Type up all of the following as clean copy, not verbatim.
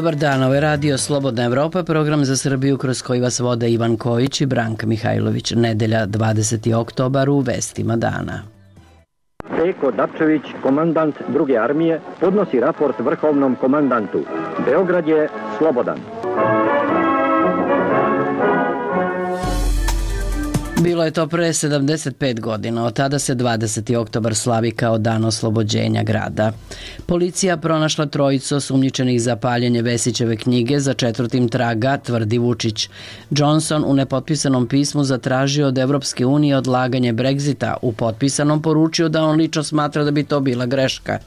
Dobar dan, ovo je Radio Slobodna Evropa, program za Srbiju kroz koji vas vode Ivan Kojić i Branka Mihajlović. Nedelja, 20. oktobar, u vestima dana. Peko Dapčević, komandant druge armije, podnosi raport vrhovnom komandantu. Beograd je slobodan. Bilo je to pre 75 godina, od tada se 20. oktobar slavi kao dan oslobođenja grada. Policija pronašla trojicu osumnjičenih za paljenje Vesićeve knjige, za četvrtim traga, tvrdi Vučić. Johnson u nepotpisanom pismu zatražio od Evropske unije odlaganje Brexita, u potpisanom poručio da on lično smatra da bi to bila greška.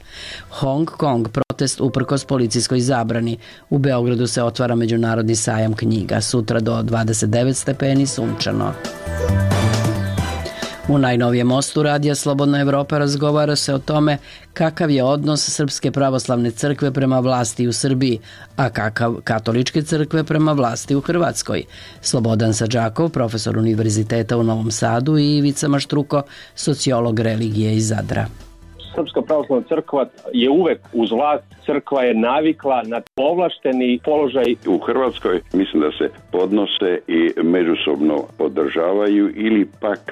Hong Kong protest uprkos policijskoj zabrani. U Beogradu se otvara međunarodni sajam knjiga, sutra do 29 stepeni sunčano. U najnovijem mostu Radija Slobodna Evropa razgovara se o tome kakav je odnos Srpske pravoslavne crkve prema vlasti u Srbiji, a kakav katoličke crkve prema vlasti u Hrvatskoj. Slobodan Sadžakov, profesor Univerziteta u Novom Sadu, i Ivica Maštruko, sociolog religije iz Zadra. Srpska pravoslavna crkva je uvek uz vlast, crkva je navikla na povlašteni položaj. U Hrvatskoj mislim da se podnose i međusobno podržavaju ili pak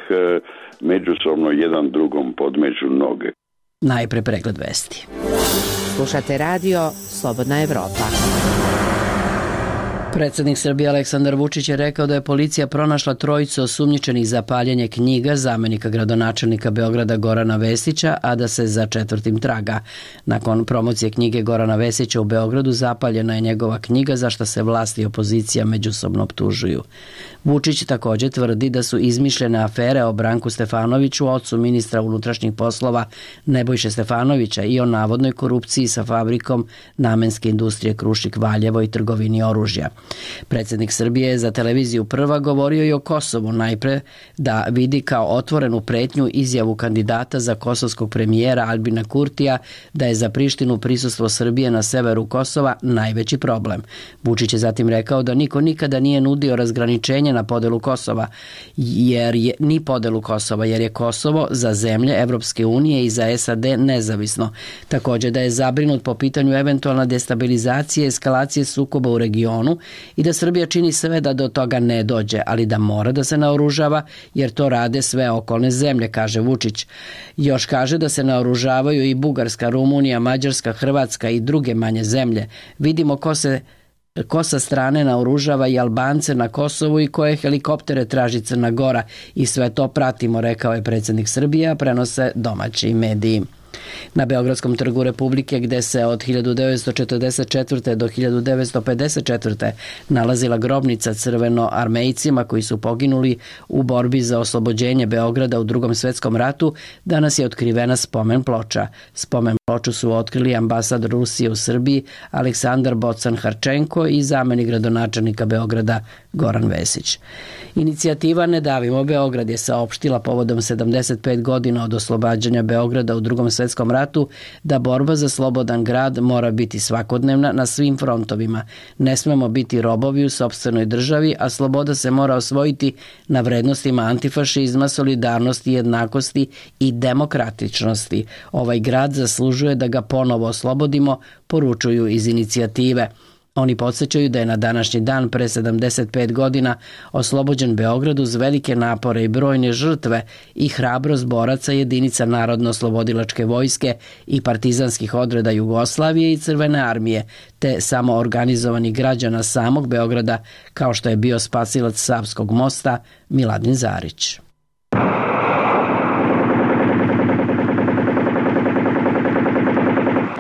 međusobno jedan drugom podmeću noge. Najpre pregled vesti. Slušate Radio Slobodna Evropa. Predsjednik Srbije Aleksandar Vučić je rekao da je policija pronašla trojicu osumnjičenih za paljenje knjiga zamenika gradonačelnika Beograda Gorana Vesića, a da se za četvrtim traga. Nakon promocije knjige Gorana Vesića u Beogradu zapaljena je njegova knjiga, za što se vlast i opozicija međusobno optužuju. Vučić također tvrdi da su izmišljene afere o Branku Stefanoviću, ocu ministra unutrašnjih poslova Nebojše Stefanovića, i o navodnoj korupciji sa fabrikom namenske industrije Krušik Valjevo i trgovini oružja. Predsjednik Srbije je za televiziju Prva govorio i o Kosovu, najpre da vidi kao otvorenu pretnju izjavu kandidata za kosovskog premijera Albina Kurtija da je za Prištinu prisustvo Srbije na severu Kosova najveći problem. Vučić je zatim rekao da niko nikada nije nudio razgraničenje na podelu Kosova, jer je Kosovo za zemlje Evropske unije i za SAD nezavisno. Također da je zabrinut po pitanju eventualne destabilizacije i eskalacije sukoba u regionu i da Srbija čini sve da do toga ne dođe, ali da mora da se naoružava jer to rade sve okolne zemlje, kaže Vučić. Još kaže da se naoružavaju i Bugarska, Rumunija, Mađarska, Hrvatska i druge manje zemlje. Vidimo ko sa strane naoružava i Albance na Kosovu i koje helikoptere traži Crna Gora, i sve to pratimo, rekao je predsjednik Srbije, a prenose domaći mediji. Na Beogradskom trgu Republike, gde se od 1944. do 1954. nalazila grobnica crvenoarmejcima koji su poginuli u borbi za oslobođenje Beograda u Drugom svjetskom ratu, danas je otkrivena spomen ploča. Spomen ploču su otkrili ambasador Rusije u Srbiji Aleksandar Bocan-Harčenko i zamenik gradonačelnika Beograda Goran Vesić. Inicijativa Ne davimo Beograd je saopštila povodom 75 godina od oslobađanja Beograda u Drugom svjetskom ratu da borba za slobodan grad mora biti svakodnevna na svim frontovima. Ne smemo biti robovi u sopstvenoj državi, a sloboda se mora osvojiti na vrednostima antifašizma, solidarnosti, jednakosti i demokratičnosti. Ovaj grad zaslužuje da ga ponovo oslobodimo, poručuju iz inicijative. Oni podsjećaju da je na današnji dan pre 75 godina oslobođen Beograd uz velike napore i brojne žrtve i hrabrost boraca jedinica Narodno-oslobodilačke vojske i partizanskih odreda Jugoslavije i Crvene armije, te samoorganizovanih građana samog Beograda, kao što je bio spasilac Savskog mosta Miladin Zarić.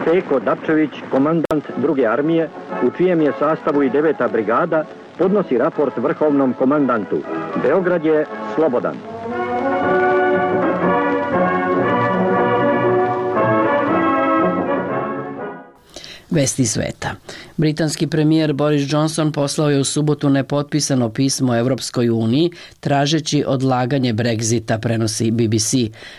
Peko Dapčević, komandant druge armije, u čijem je sastavu i 9. brigada, podnosi raport vrhovnom komandantu. Beograd je slobodan. Vesti sveta. Britanski premijer Boris Johnson poslao je u subotu nepotpisano pismo Evropskoj uniji tražeći odlaganje Brexita, prenosi BBC.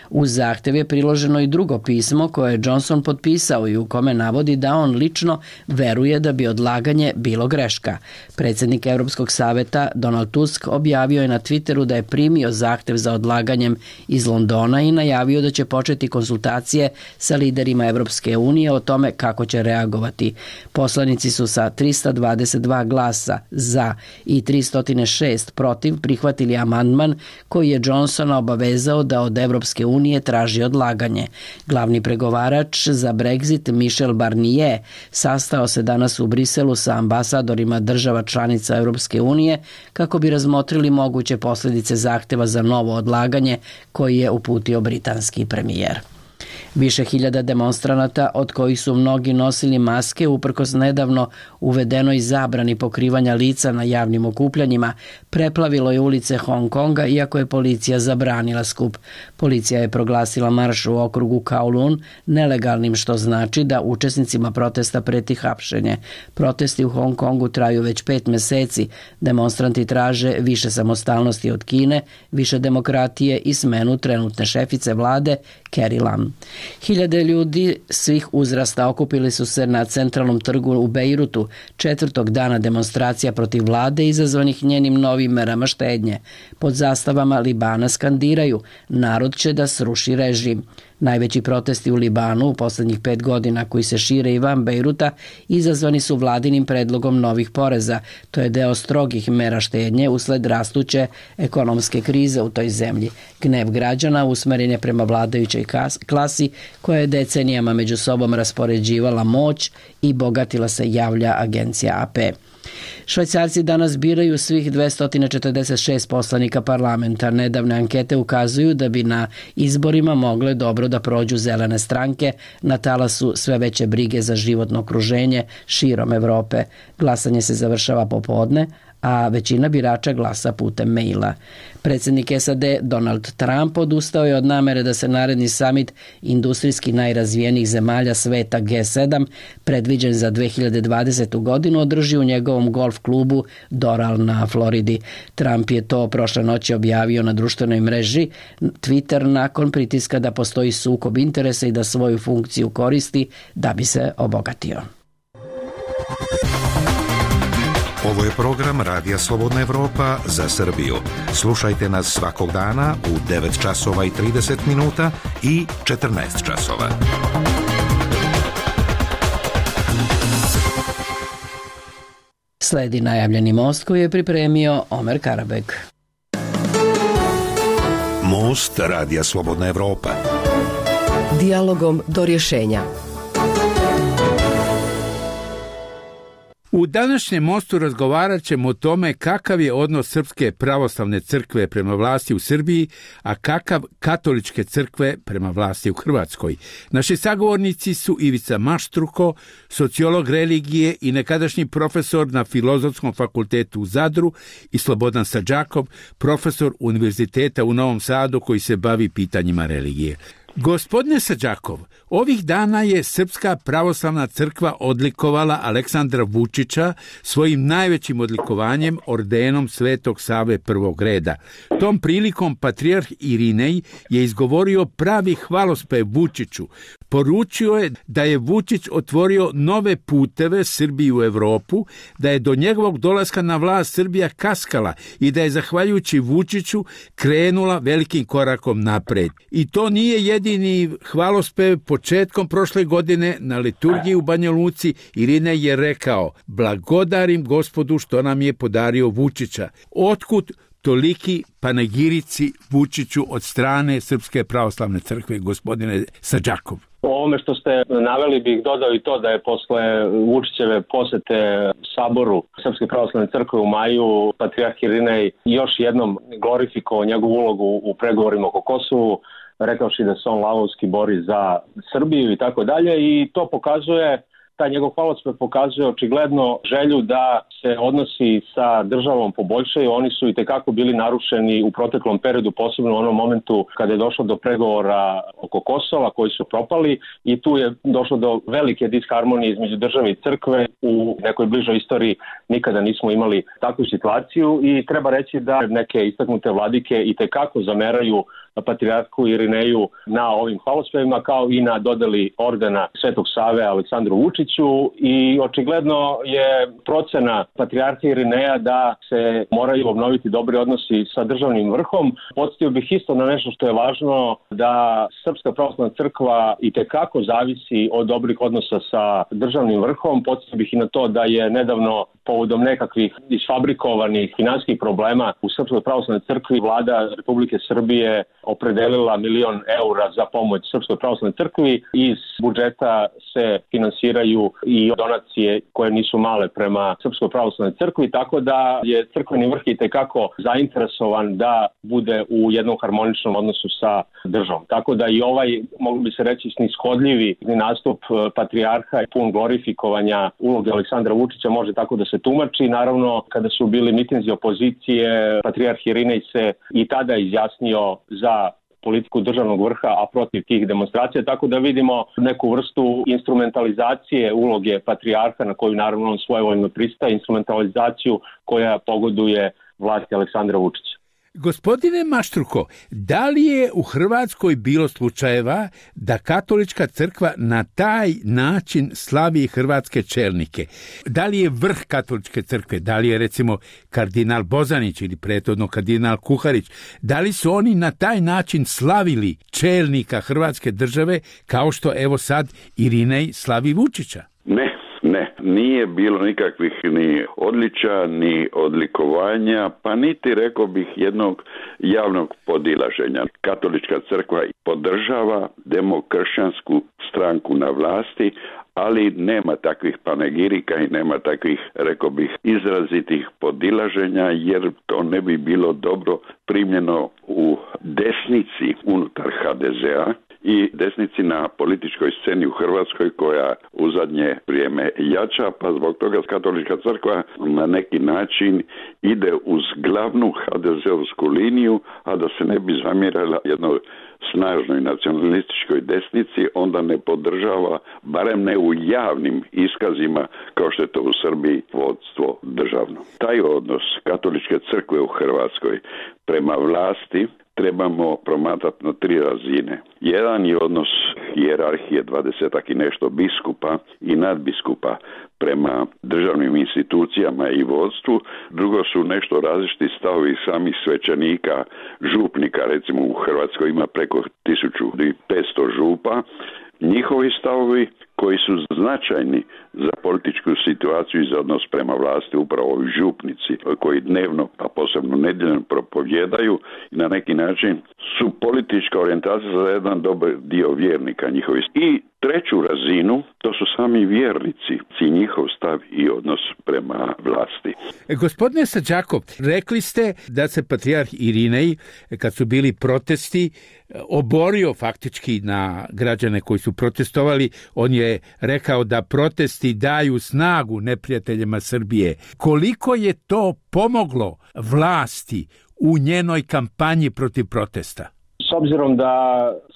Uz zahtev je priloženo i drugo pismo koje je Johnson potpisao i u kome navodi da on lično veruje da bi odlaganje bilo greška. Predsjednik Europskog saveta Donald Tusk objavio je na Twitteru da je primio zahtev za odlaganjem iz Londona i najavio da će početi konsultacije sa liderima Evropske unije o tome kako će reagovati kandidovati. Poslanici su sa 322 glasa za i 306 protiv prihvatili amandman koji je Johnsona obavezao da od Evropske unije traži odlaganje. Glavni pregovarač za Brexit Michel Barnier sastao se danas u Briselu sa ambasadorima država članica Evropske unije kako bi razmotrili moguće posljedice zahteva za novo odlaganje koji je uputio britanski premijer. Više hiljada demonstranata, od kojih su mnogi nosili maske, uprkos nedavno uvedenoj zabrani pokrivanja lica na javnim okupljanjima, preplavilo je ulice Hong Konga, iako je policija zabranila skup. Policija je proglasila marš u okrugu Kowloon nelegalnim, što znači da učesnicima protesta preti hapšenje. Protesti u Hong Kongu traju već 5 meseci. Demonstranti traže više samostalnosti od Kine, više demokratije i smenu trenutne šefice vlade Carrie Lam. Hiljade ljudi svih uzrasta okupili su se na centralnom trgu u Bejrutu 4. dana demonstracija protiv vlade izazvanih njenim novim merama štednje. Pod zastavama Libana skandiraju: narod će da sruši režim. Najveći protesti u Libanu u poslednjih 5 godina, koji se šire i van Bejruta, izazvani su vladinim predlogom novih poreza. To je deo strogih mera štednje usled rastuće ekonomske krize u toj zemlji. Gnev građana usmeren je prema vladajućoj klasi koja je decenijama među sobom raspoređivala moć i bogatila se, javlja agencija AP. Švajcarci danas biraju svih 246 poslanika parlamenta. Nedavne ankete ukazuju da bi na izborima mogle dobro da prođu zelene stranke na talasu sve veće brige za životno okruženje širom Evrope. Glasanje se završava popodne, a većina birača glasa putem maila. Predsjednik SAD Donald Trump odustao je od namere da se naredni samit industrijski najrazvijenijih zemalja sveta G7, predviđen za 2020. godinu, održi u njegovom golf klubu Doral na Floridi. Trump je to prošle noći objavio na društvenoj mreži Twitter nakon pritiska da postoji sukob interesa i da svoju funkciju koristi da bi se obogatio. Ovo je program Radija Slobodna Evropa za Srbiju. Slušajte nas svakog dana u 9 časova i 30 minuta i 14 časova. Sledi najavljeni most koji je pripremio Omer Karabek. Most Radija Slobodna Evropa. Dijalogom do rješenja. U današnjem mostu razgovarat ćemo o tome kakav je odnos Srpske pravoslavne crkve prema vlasti u Srbiji, a kakav katoličke crkve prema vlasti u Hrvatskoj. Naši sagovornici su Ivica Maštruko, sociolog religije i nekadašnji profesor na Filozofskom fakultetu u Zadru, i Slobodan Sadžakov, profesor Univerziteta u Novom Sadu koji se bavi pitanjima religije. Gospodine Sadžakov, ovih dana je Srpska pravoslavna crkva odlikovala Aleksandra Vučića svojim najvećim odlikovanjem, ordenom Svetog Save prvog reda. Tom prilikom patrijarh Irinej je izgovorio pravi hvalospev Vučiću. Poručio je da je Vučić otvorio nove puteve Srbiji u Evropu, da je do njegovog dolaska na vlast Srbija kaskala i da je zahvaljujući Vučiću krenula velikim korakom napred. I to nije jedini hvalospev. Početkom prošle godine na liturgiji u Banja Luci Irinej je rekao: blagodarim Gospodu što nam je podario Vučića. Otkud toliki panegirici Vučiću od strane Srpske pravoslavne crkve, gospodine Sadžakov? O ovome što ste naveli bih dodao i to da je posle Vučićeve posete Saboru Srpske pravoslavne crkve u maju patrijarh Irinej još jednom glorifikovao njegovu ulogu u pregovorima oko Kosovu, rekavši da se on lavovski bori za Srbiju i tako dalje, i to pokazuje, taj njegov hvalospev pokazuje očigledno želju da se odnosi sa državom poboljšaju. Oni su i tekako bili narušeni u proteklom periodu, posebno u onom momentu kada je došlo do pregovora oko Kosova koji su propali, i tu je došlo do velike disharmonije između države i crkve. U nekoj bližoj istoriji nikada nismo imali takvu situaciju i treba reći da neke istaknute vladike i tekako zameraju patrijarhu Irineju na ovim hvalospevima, kao i na dodeli ordena Svetog Save Aleksandru Vučiću, i očigledno je procena patrijarha Irineja da se moraju obnoviti dobri odnosi sa državnim vrhom. Podsjetio bih isto na nešto što je važno, da Srpska pravoslavna crkva itekako zavisi od dobrih odnosa sa državnim vrhom. Podsjetio bih i na to da je nedavno povodom nekakvih isfabrikovanih finansijskih problema u Srpskoj pravoslavnoj crkvi vlada Republike Srbije opredelila 1 milion eura za pomoć Srpskoj pravoslavnoj crkvi. Iz budžeta se finansiraju i donacije koje nisu male prema Srpskoj pravoslavnoj crkvi, tako da je crkveni vrh itekako zainteresovan da bude u jednom harmoničnom odnosu sa državom. Tako da i ovaj, moglo bi se reći, snishodljivi nastup patrijarha i pun glorifikovanja uloge Aleksandra Vučića može tako da se tumači. Naravno, kada su bili mitinzi opozicije, patrijarh Irinej se i tada izjasnio za politiku državnog vrha, a protiv tih demonstracija, tako da vidimo neku vrstu instrumentalizacije uloge patrijarha, na koju naravno on svojevoljno pristaje, instrumentalizaciju koja pogoduje vlasti Aleksandra Vučića. Gospodine Maštruko, da li je u Hrvatskoj bilo slučajeva da katolička crkva na taj način slavi hrvatske čelnike? Da li je vrh katoličke crkve, da li je recimo kardinal Bozanić ili prethodno kardinal Kuharić, da li su oni na taj način slavili čelnika Hrvatske države kao što evo sad Irinej slavi Vučića? Ne, nije bilo nikakvih ni odličja, ni odlikovanja, pa niti, rekao bih, jednog javnog podilaženja. Katolička crkva podržava demokršćansku stranku na vlasti, ali nema takvih panegirika i nema takvih, rekao bih, izrazitih podilaženja, jer to ne bi bilo dobro primljeno u desnici unutar HDZ-a i desnici na političkoj sceni u Hrvatskoj, koja u zadnje vrijeme jača, pa zbog toga katolička crkva na neki način ide uz glavnu HDZ-ovsku liniju, a da se ne bi zamjerala jednoj snažnoj nacionalističkoj desnici, onda ne podržava, barem ne u javnim iskazima, kao što je to u Srbiji, vodstvo državno. Taj odnos katoličke crkve u Hrvatskoj prema vlasti trebamo promatrati na 3 razine. Jedan je odnos hijerarhije 20-ak i nešto biskupa i nadbiskupa prema državnim institucijama i vodstvu. Drugo su nešto različiti stavovi samih svećenika, župnika, recimo u Hrvatskoj ima preko 1500 župa. Njihovi stavovi koji su značajni za političku situaciju i za odnos prema vlasti, upravo ovi župnici koji dnevno, a posebno nedjeljno propovijedaju i na neki način su politička orijentacija za jedan dobar dio vjernika njihovi. I treću razinu, to su sami vjernici i njihov stav i odnos prema vlasti. Gospodine Sađakov, rekli ste da se patrijarh Irinej, kad su bili protesti, oborio faktički na građane koji su protestovali. On je rekao da protesti daju snagu neprijateljima Srbije. Koliko je to pomoglo vlasti u njenoj kampanji protiv protesta? S obzirom da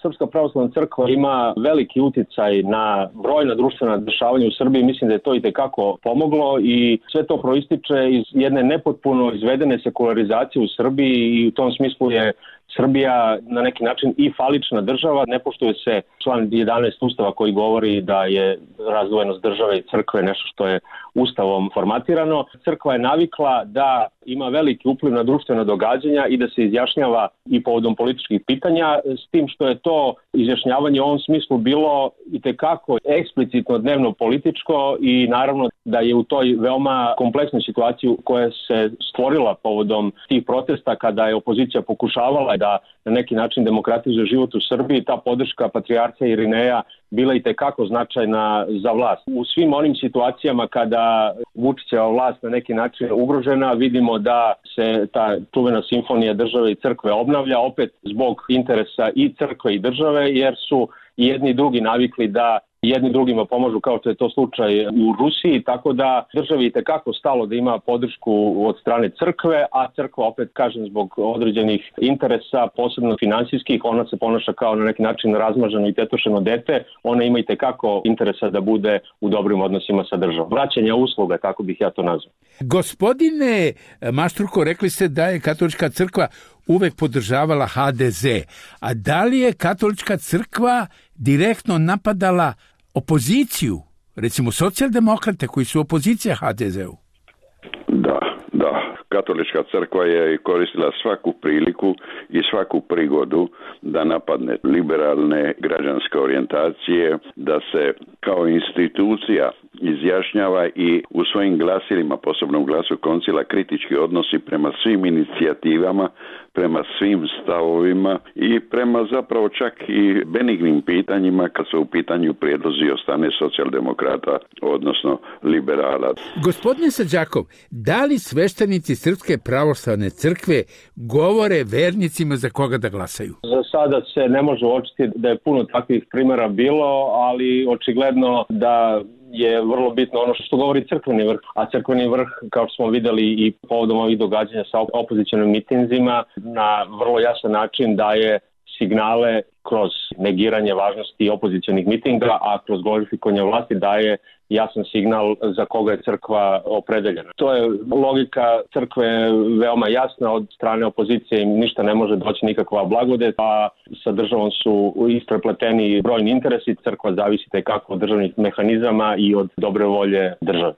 Srpska pravoslavna crkva ima veliki uticaj na brojna društvena dešavanja u Srbiji, mislim da je to itekako pomoglo i sve to proističe iz jedne nepotpuno izvedene sekularizacije u Srbiji i u tom smislu je Srbija na neki način i falična država. Ne poštuje se član 11 Ustava koji govori da je razdvojenost države i crkve nešto što je Ustavom formatirano. Crkva je navikla da ima veliki upliv na društvena događanja i da se izjašnjava i povodom političkih pitanja, s tim što je to izjašnjavanje u ovom smislu bilo itekako eksplicitno dnevno političko i naravno da je u toj veoma kompleksnoj situaciji koja se stvorila povodom tih protesta, kada je opozicija pokušavala da na neki način demokratizuje život u Srbiji, ta podrška patrijarha Irineja bila itekako značajna za vlast. U svim onim situacijama kada Vučićeva vlast na neki način ugrožena, vidimo da se ta čuvena simfonija države i crkve obnavlja, opet zbog interesa i crkve i države, jer su jedni i drugi navikli da jedni drugima pomažu, kao što je to slučaj u Rusiji, tako da državi itekako stalo da ima podršku od strane crkve, a crkva, opet kažem, zbog određenih interesa, posebno finansijskih, ona se ponaša kao na neki način razmaženo i tetošeno dete, ona ima itekako interesa da bude u dobrim odnosima sa državom. Vraćanja usluga, tako bih ja to nazvao. Gospodine Maštruko, rekli ste da je katolička crkva uvek podržavala HDZ. A da li je katolička crkva direktno napadala opoziciju, recimo socijaldemokrate koji su opozicija HDZ-u? Da. Katolička crkva je koristila svaku priliku i svaku prigodu da napadne liberalne građanske orijentacije, da se kao institucija izjašnjava i u svojim glasilima, posebno u glasu koncila, kritički odnosi prema svim inicijativama, prema svim stavovima i prema zapravo čak i benignim pitanjima kad su u pitanju prijedlozi od strane socijaldemokrata, odnosno liberala. Gospodine Sađakov, da li sveštenici Srpske pravoslavne crkve govore vernicima za koga da glasaju? Za sada se ne može uočiti da je puno takvih primjera bilo, ali očigledno da je vrlo bitno ono što govori crkveni vrh, a crkveni vrh, kao što smo vidjeli i povodom ovih događanja sa opozicionim mitinzima, na vrlo jasan način daje signale kroz negiranje važnosti opozicionih mitinga, a kroz glorifikovanje vlasti daje jasan signal za koga je crkva opredeljena. To je logika crkve veoma jasna, od strane opozicije im ništa ne može doći, nikakva blagodet, a sa državom su isprepleteni brojni interesi, crkva zavisi kako od državnih mehanizama i od dobre volje države.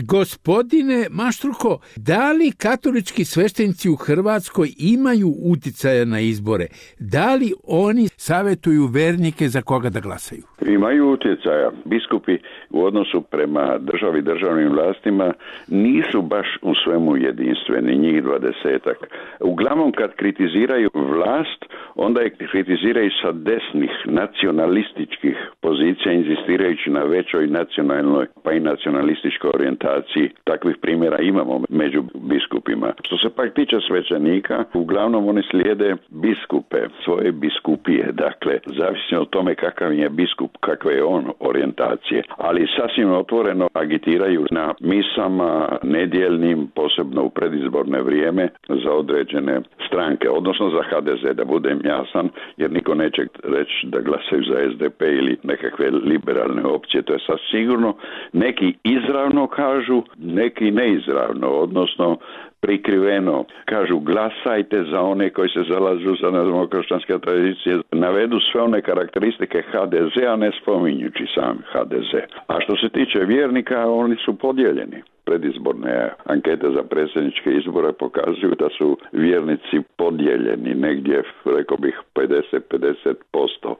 Gospodine Maštruko, da li katolički sveštenici u Hrvatskoj imaju uticaja na izbore? Da li oni savjetuju vernike za koga da glasaju? Imaju utjecaja. Biskupi u odnosu prema državi, državnim vlastima nisu baš u svemu jedinstveni, njih 20-ak. Uglavnom kad kritiziraju vlast, onda je kritiziraju sa desnih nacionalističkih pozicija, inzistirajući na većoj nacionalnoj pa i nacionalističkoj orijentaciji. Takvih primjera imamo među biskupima. Što se pak tiče svećenika, uglavnom oni slijede biskupe, svoje biskupije. Dakle, zavisno od tome kakav je biskup, kakve je on orijentacije. Ali sasvim otvoreno agitiraju na misama nedjeljnim, posebno u predizborne vrijeme, za određene stranke, odnosno za HDZ, da budem jasan, jer niko neće reći da glasaju za SDP ili nekakve liberalne opcije. To je sasvim sigurno. Neki izravno kažu, neki neizravno, odnosno prikriveno. Kažu glasajte za one koji se zalažu za demokršćanske tradicije. Navedu sve one karakteristike HDZ-a, ne spominjući sam HDZ. A što se tiče vjernika, oni su podijeljeni. Predizborne ankete za predsjedničke izbore pokazuju da su vjernici podijeljeni negdje, rekao bih, 50%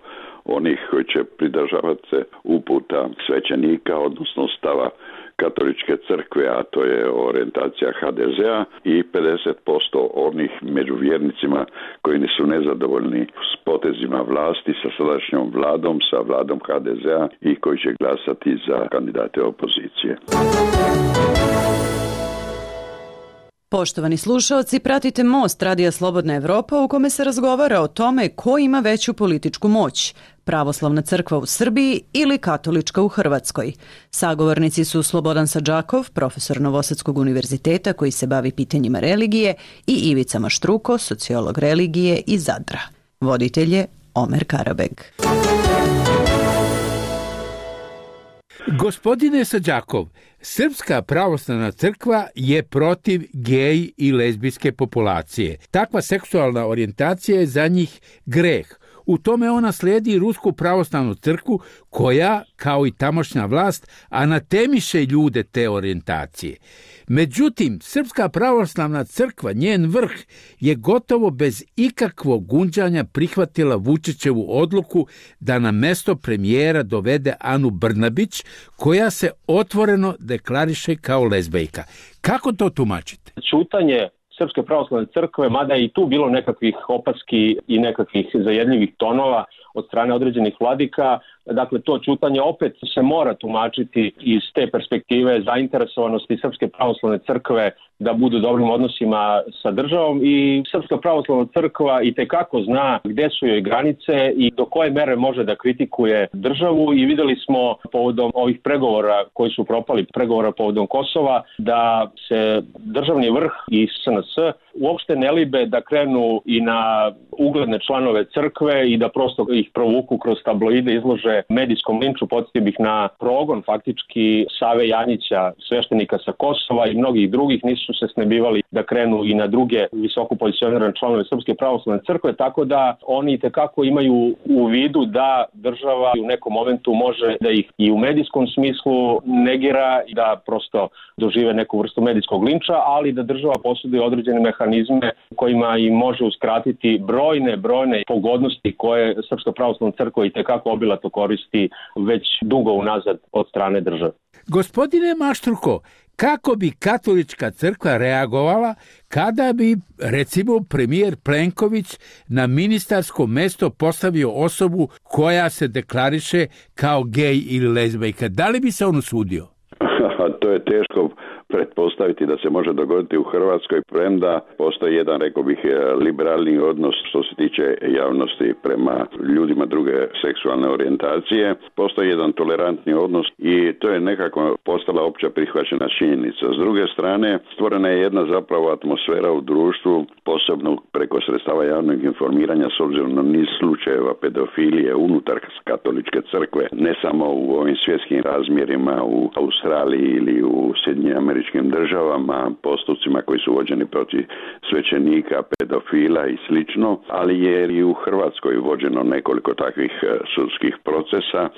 onih koji će pridržavati se uputa svećenika, odnosno stava katoličke crkve, a to je orijentacija HDZ-a, i 50% onih među vjernicima koji nisu nezadovoljni s potezima vlasti, sa sadašnjom vladom, sa vladom HDZ-a i koji će glasati za kandidate opozicije. Poštovani slušaoci, pratite Most Radija Slobodna Evropa u kome se razgovara o tome ko ima veću političku moć, pravoslavna crkva u Srbiji ili katolička u Hrvatskoj. Sagovornici su Slobodan Sađakov, profesor Novosadskog univerziteta koji se bavi pitanjima religije, i Ivica Maštruko, sociolog religije iz Zadra. Voditelj je Omer Karabeg. Gospodine Sađakov, Srpska pravoslavna crkva je protiv gej i lezbijske populacije. Takva seksualna orijentacija je za njih greh. U tome ona slijedi Rusku pravoslavnu crkvu koja, kao i tamošnja vlast, anatemiše ljude te orijentacije. Međutim, Srpska pravoslavna crkva, njen vrh, je gotovo bez ikakvog gunđanja prihvatila Vučićevu odluku da na mesto premijera dovede Anu Brnabić, koja se otvoreno deklariše kao lezbejka. Kako to tumačite? Ćutanje Srpske pravoslavne crkve, mada je i tu bilo nekakvih opaski i nekakvih zajedljivih tonova od strane određenih vladika, dakle to ćutanje opet se mora tumačiti iz te perspektive zainteresovanosti Srpske pravoslavne crkve da budu u dobrim odnosima sa državom, i Srpska pravoslavna crkva itekako zna gde su joj granice i do koje mere može da kritikuje državu, i videli smo povodom ovih pregovora koji su propali, pregovora povodom Kosova, da se državni vrh i SNS uopšte ne libe da krenu i na ugledne članove crkve i da prosto ih provuku kroz tabloide, izlože medijskom linču. Podsjetio bih na progon faktički Save Janjića, sveštenika sa Kosova i mnogih drugih, nisu se snebivali da krenu i na druge visoko pozicionirane članove Srpske pravoslavne crkve, tako da oni tekako imaju u vidu da država u nekom momentu može da ih i u medijskom smislu negira i da prosto dožive neku vrstu medijskog linča, ali da država posjeduje određene mehanizme kojima im može uskratiti brojne pogodnosti koje Srpska pravoslavna crkva i tekako obilato koristi već dugo unazad od strane države. Gospodine Maštruko, kako bi katolička crkva reagovala kada bi, recimo, premijer Plenković na ministarsko mesto postavio osobu koja se deklariše kao gej ili lezbejka? Da li bi se on usudio? To je teško pretpostaviti da se može dogoditi u Hrvatskoj, premda postoji jedan, rekao bih, liberalni odnos što se tiče javnosti prema ljudima druge seksualne orijentacije. Postoji jedan tolerantni odnos i to je nekako postala opća prihvaćena činjenica. S druge strane, stvorena je jedna zapravo atmosfera u društvu, posebno preko sredstava javnog informiranja, s obzirom na niz slučajeva pedofilije unutar katoličke crkve, ne samo u ovim svjetskim razmjerima u Australiji ili u Sjedinjenim državama, postupcima koji su vođeni protiv svećenika, pedofila i slično, ali je i u Hrvatskoj vođeno nekoliko takvih sudskih procesa,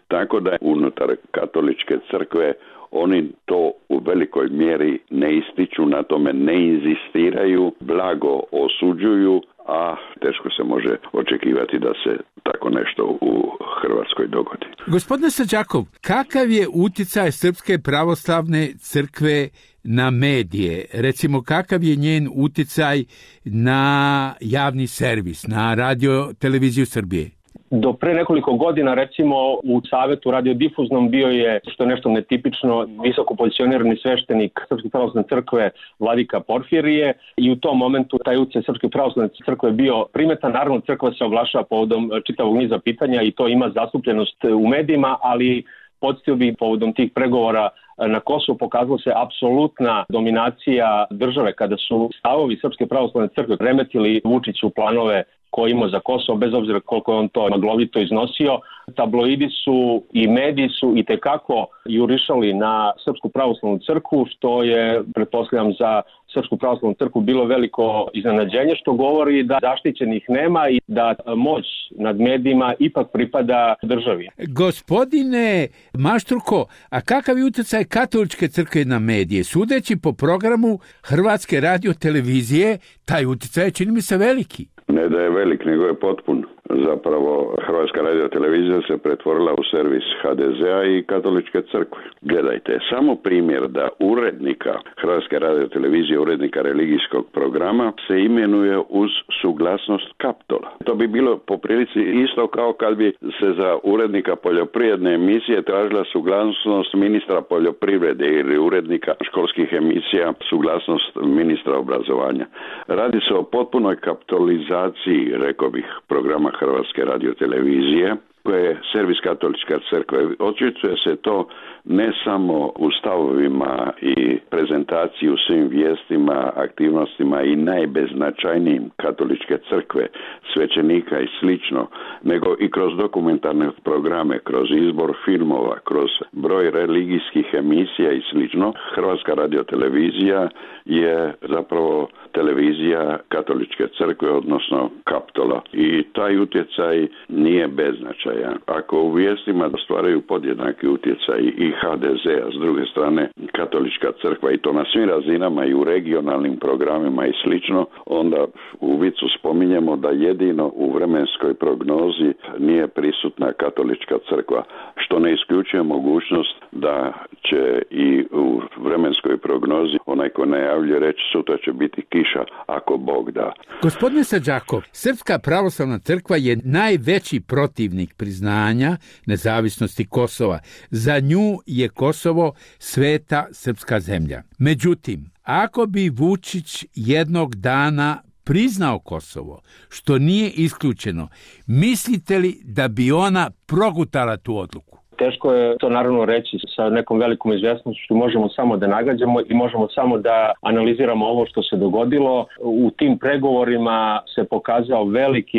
tako da unutar katoličke crkve oni to u velikoj mjeri ne ističu, na tome ne inzistiraju, blago osuđuju, a teško se može očekivati da se tako nešto u Hrvatskoj dogodi. Gospodine Sađakov, kakav je utjecaj Srpske pravoslavne crkve na medije? Recimo, kakav je njen utjecaj na javni servis, na radio televiziju Srbije? Do pre nekoliko godina, recimo, u Savetu radiodifuznom bio je, što je nešto netipično, visoko pozicionirani sveštenik Srpske pravoslavne crkve Vladika Porfirije i u tom momentu taj utjecaj Srpske pravoslavne crkve bio primetan. Naravno, crkva se oglašava povodom čitavog niza pitanja i to ima zastupljenost u medijima, ali podsjetio bih, povodom tih pregovora na Kosovu pokazala se apsolutna dominacija države kada su stavovi Srpske pravoslavne crkve remetili Vučiću planove koje imao za Kosovo, bez obzira koliko je on to maglovito iznosio. Tabloidi su i mediji su i tekako jurišali na Srpsku pravoslavnu crkvu, što je, pretpostavljam, za Srpsku pravoslavnu crkvu bilo veliko iznenađenje, što govori da zaštićenih nema i da moć nad medijima ipak pripada državi. Gospodine Maštruko, a kakav je utjecaj katoličke crkve na medije? Sudeći po programu Hrvatske radiotelevizije, taj utjecaj je, čini mi se, veliki. Ne da je velik, nego je potpun. Zapravo Hrvatska radiotelevizija se pretvorila u servis HDZ-a i katoličke crkve. Gledajte, samo primjer da urednika Hrvatske radiotelevizije, urednika religijskog programa, se imenuje uz suglasnost Kaptola. To bi bilo po prilici isto kao kad bi se za urednika poljoprivredne emisije tražila suglasnost ministra poljoprivrede ili urednika školskih emisija suglasnost ministra obrazovanja. Radi se o potpunoj kapitalizaciji, rekao bih, programa Hrvatske radiotelevizije, koje je servis katoličke crkve. Očituje se to ne samo u stavovima i prezentaciji u svim vijestima, aktivnostima i najbeznačajnijim katoličke crkve, svećenika i slično, nego i kroz dokumentarne programe, kroz izbor filmova, kroz broj religijskih emisija i slično. Hrvatska radiotelevizija je zapravo televizija katoličke crkve, odnosno Kaptola. I taj utjecaj nije beznačajan. Ako u vijestima ostvaraju podjednaki utjecaj i HDZ-a, s druge strane katolička crkva, i to na svim razinama i u regionalnim programima i slično, onda u vicu spominjemo da jedino u vremenskoj prognozi nije prisutna katolička crkva, što ne isključuje mogućnost da će i u vremenskoj prognozi onaj ko najavljuje reći sutra će biti kiša ako Bog da. Gospodine Sađakov, Srpska pravoslavna crkva je najveći protivnik priznanja nezavisnosti Kosova. Za nju je Kosovo sveta srpska zemlja. Međutim, ako bi Vučić jednog dana priznao Kosovo, što nije isključeno, mislite li da bi ona progutala tu odluku? Teško je to naravno reći sa nekom velikom izvjesnošću, možemo samo da nagađamo i možemo samo da analiziramo ovo što se dogodilo. U tim pregovorima se pokazao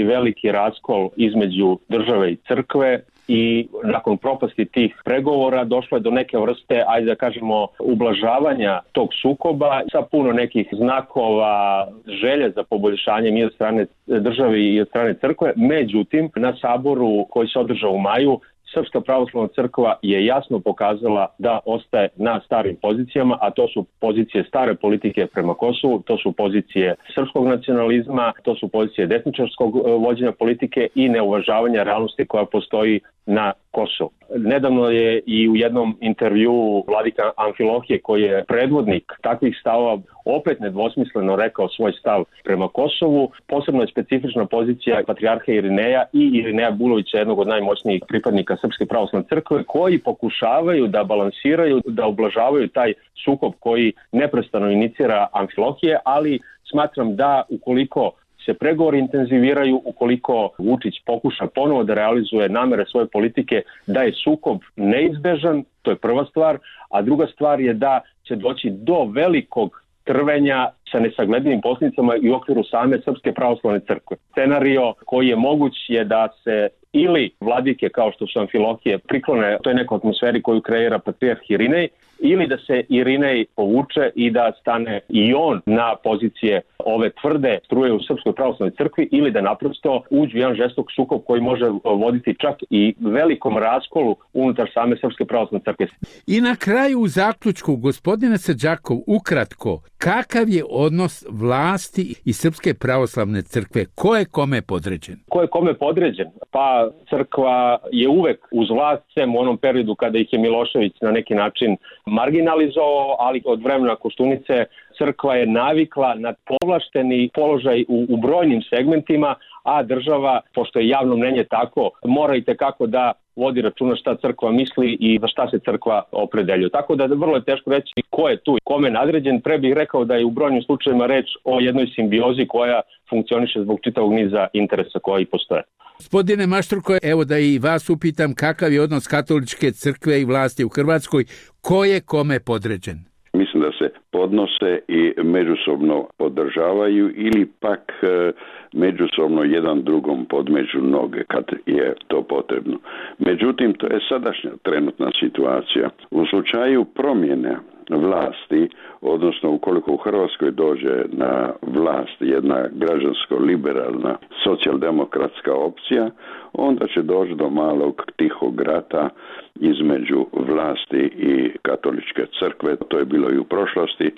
veliki raskol između države i crkve i nakon propasti tih pregovora došlo je do neke vrste, ajde da kažemo, ublažavanja tog sukoba sa puno nekih znakova, želje za poboljšanjem i od strane države i od strane crkve. Međutim, na saboru koji se održao u maju, Srpska pravoslavna crkva je jasno pokazala da ostaje na starim pozicijama, a to su pozicije stare politike prema Kosovu, to su pozicije srpskog nacionalizma, to su pozicije desničarskog vođenja politike i neuvažavanja realnosti koja postoji na Kosovu. Nedavno je i u jednom intervjuu vladika Amfilohije, koji je predvodnik takvih stavova, opet nedvosmisleno rekao svoj stav prema Kosovu. Posebno je specifična pozicija patrijarha Irineja i Irineja Bulovića, jednog od najmoćnijih pripadnika Srpske pravoslavne crkve, koji pokušavaju da balansiraju, da ublažavaju taj sukob koji neprestano inicira Amfilohije, ali smatram da ukoliko se pregovori intenziviraju, ukoliko Vučić pokuša ponovo da realizuje namere svoje politike, da je sukob neizbežan, to je prva stvar, a druga stvar je da će doći do velikog trvenja sa nesagledivim posljedicama i u okviru same Srpske pravoslavne crkve. Scenario koji je moguć je da se ili vladike kao što su Amfilohije priklone toj nekoj atmosferi koju kreira patrijarh Irinej, ili da se Irinej povuče i da stane i on na pozicije ove tvrde struje u Srpskoj pravoslavnoj crkvi, ili da naprosto uđu jedan žestok sukob koji može voditi čak i velikom raskolu unutar same Srpske pravoslavne crkve. I na kraju u zaključku, gospodine Srđakov, ukratko, kakav je odnos vlasti i Srpske pravoslavne crkve? Ko je kome podređen? Ko je kome podređen? Pa crkva je uvek uz vlast, sem u onom periodu kada ih je Milošević na neki način marginalizovao, ali od vremena Koštunice crkva je navikla na povlašteni položaj u brojnim segmentima, a država, pošto je javno mnenje tako, mora i tekako da vodi računa šta crkva misli i za šta se crkva opredeljuje. Tako da vrlo je teško reći ko je tu, kome nadređen. Pre bih rekao da je u brojnim slučajevima reč o jednoj simbiozi koja funkcioniše zbog čitavog niza interesa koji postoje. Gospodine Mašturko, evo da i vas upitam kakav je odnos katoličke crkve i vlasti u Hrvatskoj, ko je kome podređen? Mislim da se podnose i međusobno podržavaju ili pak međusobno jedan drugom podmeću noge kad je to potrebno. Međutim, to je sadašnja trenutna situacija. U slučaju promjene vlasti, odnosno ukoliko u Hrvatskoj dođe na vlast jedna građansko-liberalna socijaldemokratska opcija, onda će doći do malog tihog rata između vlasti i katoličke crkve. To je bilo i u prošlosti,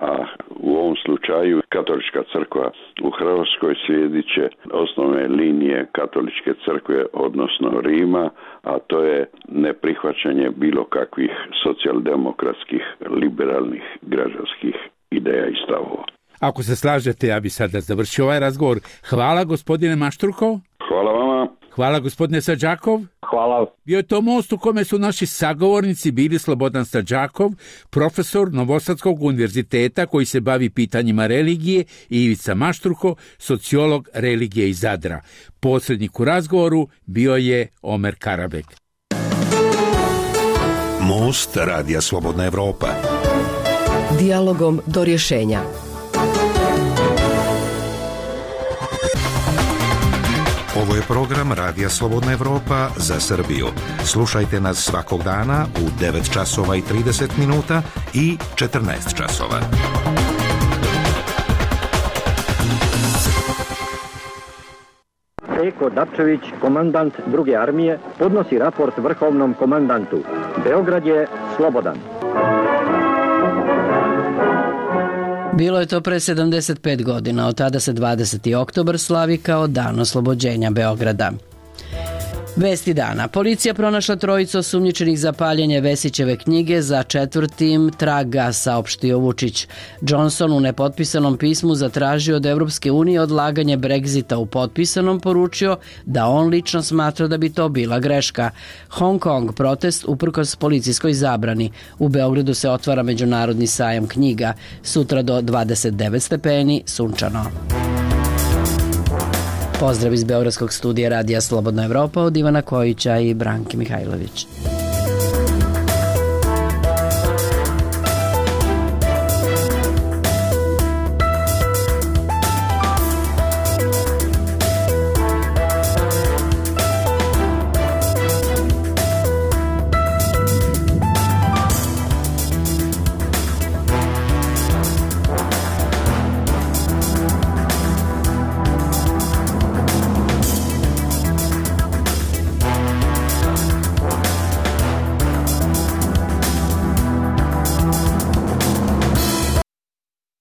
a u ovom slučaju katolička crkva u Hrvatskoj slijedit će osnovne linije katoličke crkve, odnosno Rima, a to je neprihvaćanje bilo kakvih socijaldemokratskih, liberalnih, građanskih ideja i stavova. Ako se slažete, ja bi sada završio ovaj razgovor. Hvala gospodine Mašturko. Hvala vama. Hvala gospodine Srđakov. Hvala. Bio je to most u kome su naši sagovornici bili Slobodan Srđakov, profesor Novosadskog univerziteta koji se bavi pitanjima religije, i Ivica Mašturko, sociolog religije iz Zadra. Posrednik u razgovoru bio je Omer Karabek. Most Radija Slobodna Evropa. Dijalogom do rješenja. Ovo je program Radija Slobodna Evropa za Srbiju. Slušajte nas svakog dana u 9 časova i 30 minuta i 14 časova. Eko Dapčević, komandant 2. armije, podnosi raport vrhovnom komandantu. Beograd je slobodan. Bilo je to pre 75 godina, od tada se 20. oktobar slavi kao Dan oslobođenja Beograda. Vesti dana. Policija pronašla trojicu osumnjičenih za paljenje Vesićeve knjige za 4. traga, saopštio Vučić. Johnson u nepotpisanom pismu zatražio od Evropske unije odlaganje Brexita, u potpisanom poručio da on lično smatra da bi to bila greška. Hong Kong protest uprkos policijskoj zabrani. U Beogradu se otvara međunarodni sajam knjiga. Sutra do 29 stepeni, sunčano. Pozdrav iz Beogradskog studija Radija Slobodna Evropa od Ivana Kojića i Branke Mihajlović.